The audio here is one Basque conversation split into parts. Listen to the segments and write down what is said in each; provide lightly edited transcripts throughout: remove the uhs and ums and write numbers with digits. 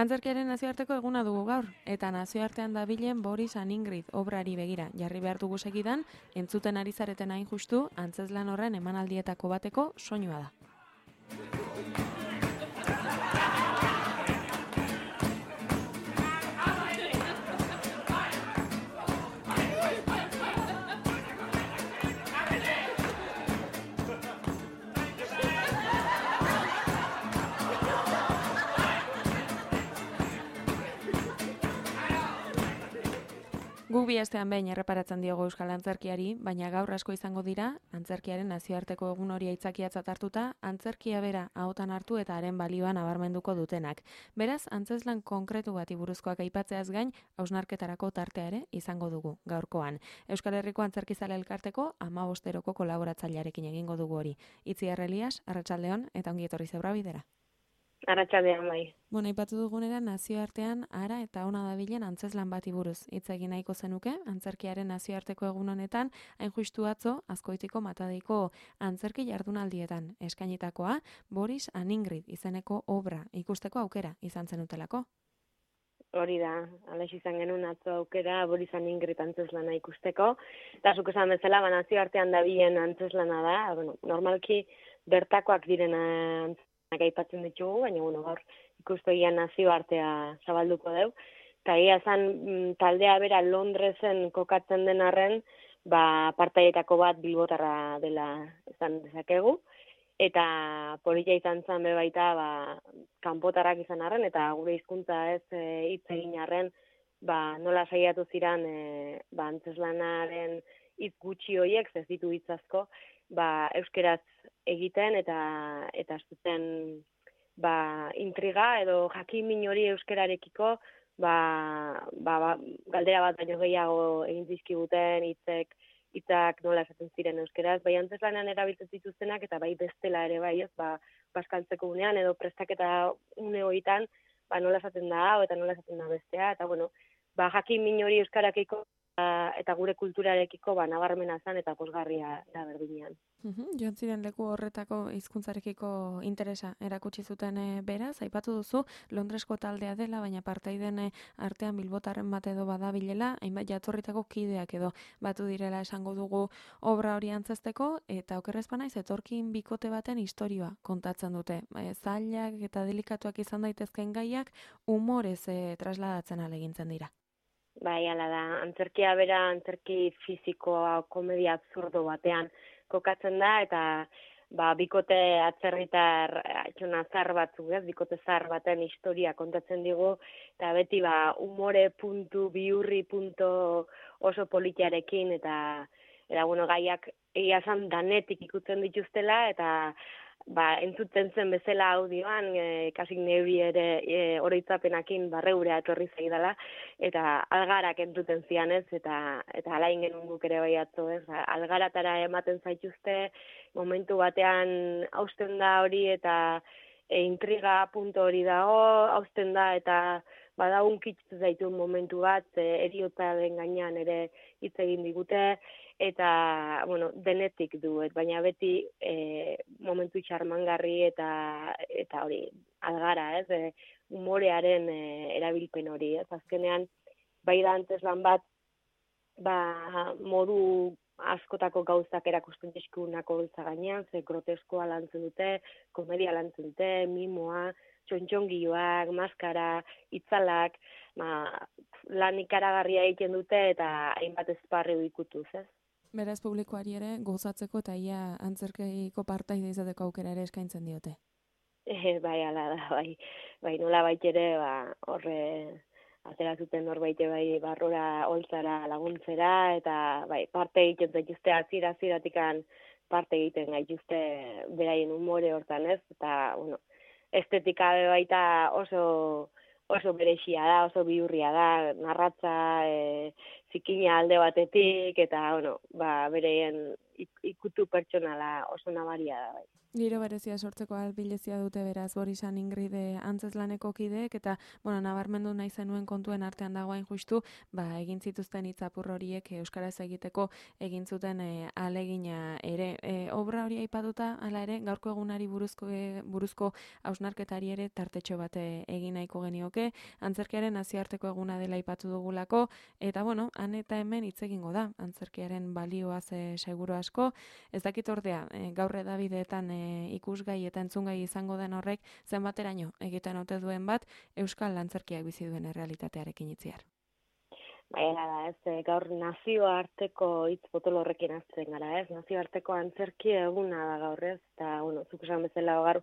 Antzerkiaren nazioarteko eguna dugu gaur, eta nazioartean dabilen Boris and Ingrid obrari begira jarri behar dugu segidan, entzuten ari zareten hain justu, antzezlan horren emanaldietako bateko soinua da. Guk bi astean behin erreparatzen diogu euskal antzerkiari, baina gaur asko izango dira, antzerkiaren nazioarteko egun hori aitzakiatzat hartuta, antzerkia bera ahotan hartu eta haren balioa nabarmenduko dutenak. Beraz, antzezlan konkretu bati buruzkoak aipatzeaz gain, hausnarketarako tartea ere izango dugu gaurkoan. Euskal Herriko Antzerkizale Elkarteko 15 kolaboratzailearekin egingo dugu hori. Itziar Elias, arratsaldeon eta ongi etorri Zeura bidera. Arratsaldean bai. Aipatu dugunera nazioartean ara eta ona dabilen antzezlan bati buruz hitz egin nahiko zenuke, antzerkiaren nazioarteko egun honetan, hain justu atzo Azkoitiko Matadeiko antzerki jardunaldietan eskainitakoa Boris and Ingrid izeneko obra ikusteko aukera izan zenutelako. Hori da, alaix izan genuen atzo aukera Boris and Ingrid antzeslana ikusteko, eta zuk esan bezala nazioartean dabilen antzeslana da, normalki bertakoak diren aipatzen ditugu, baina gaur ikustegian nazioartea zabalduko deu. Eta egia zan taldea bera Londresen kokatzen den arren, partaietako bat bilbotarra dela esan dezakegu. Eta polita izan zen bebaita kanpotarrak izan arren, eta gure hizkuntza ez hitz egin arren, nola saiatu ziran antzeslanaren hitz gutxi horiek, ez ditu hitz asko, euskeraz egiten eta zuten intriga edo jakin hori euskerarekiko galdera bat baino gehiago egin dizkiguten hitzak nola esaten ziren euskeraz, antzeslanean erabiltzen dituztenak eta bestela ere bazkaltzeko unean edo prestaketa une horietan nola esaten da hau eta nola esaten da bestea, eta jakin hori euskarakiko eta gure kulturarekiko nabarmena zen eta pozgarria da berdinean. Joan ziren leku horretako hizkuntzarekiko interesa erakutsi zuten beraz, aipatu duzu Londresko taldea dela, baina partaiden artean bilbotarren bat edo badabilela, hainbat jatorritako kideak edo batu direla esango dugu obra hori antzezteko, eta okerrez banaiz etorkin bikote baten istorioa kontatzen dute. Zailak eta delikatuak izan daitezken gaiak umorez trasladatzen alegintzen dira. Bai, ala da, antzerkia bera, antzerki fizikoa, komedia absurdo batean kokatzen da, eta bikote atzerritar zahar batzuk, bikote zahar baten historia kontatzen digu, eta beti umore puntu, bihurri puntu oso politiarekin, eta gaiak egia zan danetik ikutzen dituztela, eta entzuten zen bezala audioan, kasik neuri ere oroitzapenakin barreurea etorri zaidala, eta algarak entzuten zianez, eta alain genuen guk ere bai atzo, algaratara ematen zaituzte, momentu batean hausten da hori, eta intriga punto hori dago, hausten da, eta unkitzu zaituen momentu bat, heriotzaren gainean ere hitz egin digute, eta, denetik duet, baina beti momentu txarmangarri eta hori, algara, humorearen erabilpen hori, azkenean, da antzeslan bat, modu askotako gauzak erakusten dizkigunako gauza gainean, groteskoa lantzen dute, komedia lantzen dute, mimoa, txontxongioak, maskara, itzalak, lan ikaragarria egiten dute eta hainbat esparri ikutuz, ez? Beraz publikoari ere gozatzeko eta ia antzerkiko partaide izateko aukera ere eskaintzen diote. Bai, ala da, bai, nola ere, horre aterazuten norbaite barrora holtzara laguntzera, eta parte egiten zaituzte hasiera-hasieratik parte egiten gaituzte beraien umore hortan, ez? Eta, estetika baita oso berexia da, oso bihurria da, narratza, zikina alde batetik, eta, bereien ikutu pertsonala oso nabaria da, bai. Giro berezia sortzeko albilezia dute beraz Borisan Ingrid antzezlaneko kideek eta nabarmendu nahi zenuen kontuen artean dagoen justu, egin zituzten hitzapur horiek euskaraz egiteko egin zuten ahalegina ere. Obra hori aipatuta hala ere gaurko egunari buruzko hausnarketari ere tartetxo bat egin nahiko genioke. Antzerkiaren nazioarteko eguna dela aipatu dugulako eta han eta hemen hitz egingo da antzerkiaren balioaz seguru asko. Ez dakit ordea gaur edabideetan ikusgai eta entzungai izango den horrek zenbateraino egiten ote duen bat euskal antzerkiak bizi duen errealitatearekin itziar. Da, gaur nazioarteko hitz potolo horrekin azten gara, nazioarteko antzerki eguna da gaur, eta, zuk esan bezala gaur,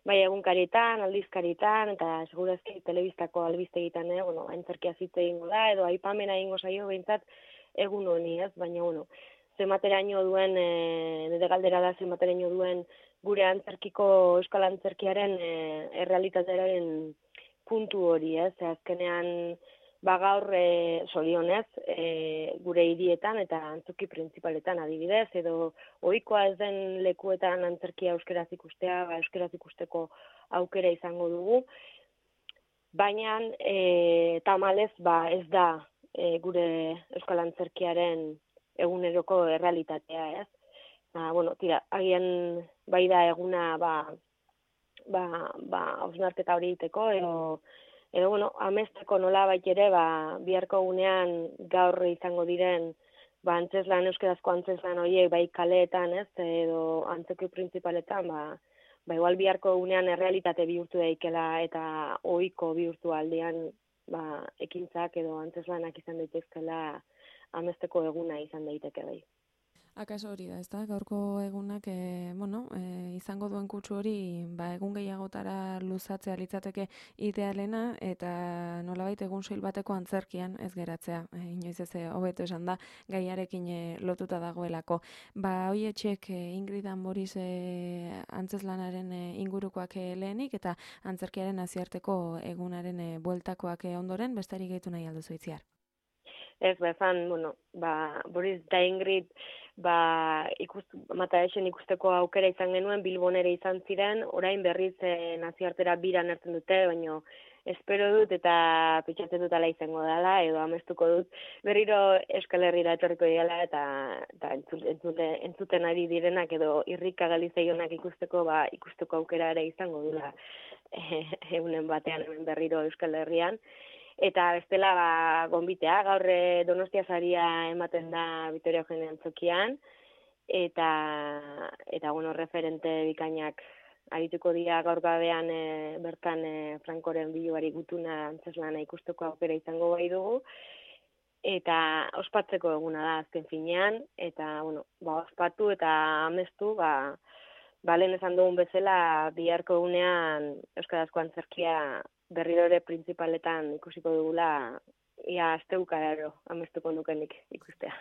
egunkarietan, aldizkarietan, eta segurazki telebistako albiztegitan, antzerkia zitze egingo da, edo aipamena egingo zaio behintzat egun honi, baina, zenbateraino duen, nire galdera da zenbateraino duen gure antzerkiko euskal antzerkiaren errealitatearen puntu hori, azkenean gaur zorionez gure hirietan eta antzoki printzipaletan adibidez, edo ohikoa ez den lekuetan antzerkia euskeraz ikustea, euskeraz ikusteko aukera izango dugu, baina tamalez ez da gure euskal antzerkiaren eguneroko errealitatea, ez? Agian bai da eguna hausnarketa hori egiteko, edo amesteko nolabait ere, biharko egunean gaur izango diren antzeslan, euskerazko antzeslan horiek, bai kaleetan, ez, edo antzoki printzipaletan, igual biharko egunean errealitate bihurtu daikela eta ohiko bihurtu aldean ekintzak edo antzeslanak izan daitezkela amesteko eguna izan daiteke bai. Akaso hori da, ezta? Gaurko egunak, izango duen kutsu hori, egun gehiagotara luzatzea litzateke idealena, eta nolabait egun soil bateko antzerkian ez geratzea. Inoiz ez hobeto esan da, gaiarekin lotuta dagoelako. Hoietxek Ingrid Boris antzeslanaren ingurukoak lehenik, eta antzerkiaren nazioarteko egunaren bueltakoak ondoren, besterik gehitu nahi alduzu itziar. Ez, Boris eta Ingrid, Mataesen ikusteko aukera izan genuen, Bilbon ere izan ziren, orain berriz nazioartera biran hartzen dute, baina espero dut eta pentsatzen dut ala izango dela, edo amestuko dut, berriro Euskal Herrira etorriko dela eta entzuten ari direnak edo irrika galizaionak ikusteko aukera ere izango dula egunen batean hemen berriro Euskal Herrian. Eta bestela gonbitea, gaur Donostia saria ematen da Vitoria Eugenia Antzokian, eta referente bikainak arituko dira gaur gabean bertan Frankoren biloari gutuna antzeslana ikusteko aukera izango bai dugu, eta ospatzeko eguna da azken finean, eta ospatu eta amestu, lehen esan dugun bezala biharko egunean euskarazko antzerkia berriro ere printzipaletan ikusiko dugula, ia astebukararo amestuko nukenik ikustea.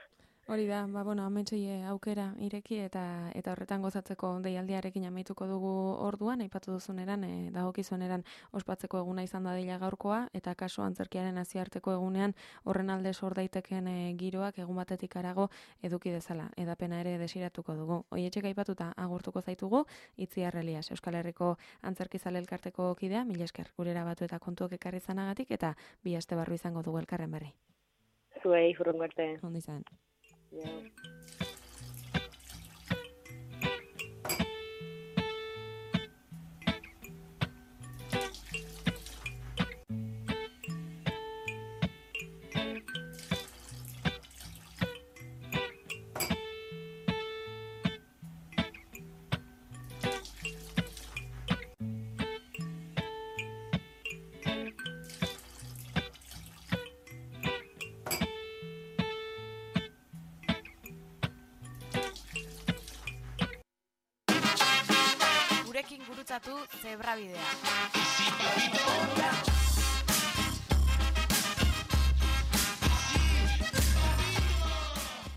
Hori da, ametxei aukera ireki eta horretan gozatzeko deialdiarekin amaituko dugu orduan, aipatu duzuneran, dagokizuneran ospatzeko eguna izan dadila gaurkoa, eta kaso antzerkiaren nazioarteko egunean horren alde sor daiteken giroak egun batetik harago eduki dezala, edapena ere desiratuko dugu. Hoietxek aipatuta agurtuko zaitugu, Itziar Elias, Euskal Herriko Antzerkizale Elkarteko kidea, mila esker gurera batu eta kontuak ekarri zanagatik, eta bi aste barru izango dugu elkarren berri. Zuei, hurrengo arte. Ondo izan. Yeah. Gurekin gurutzatu Zebrabidea.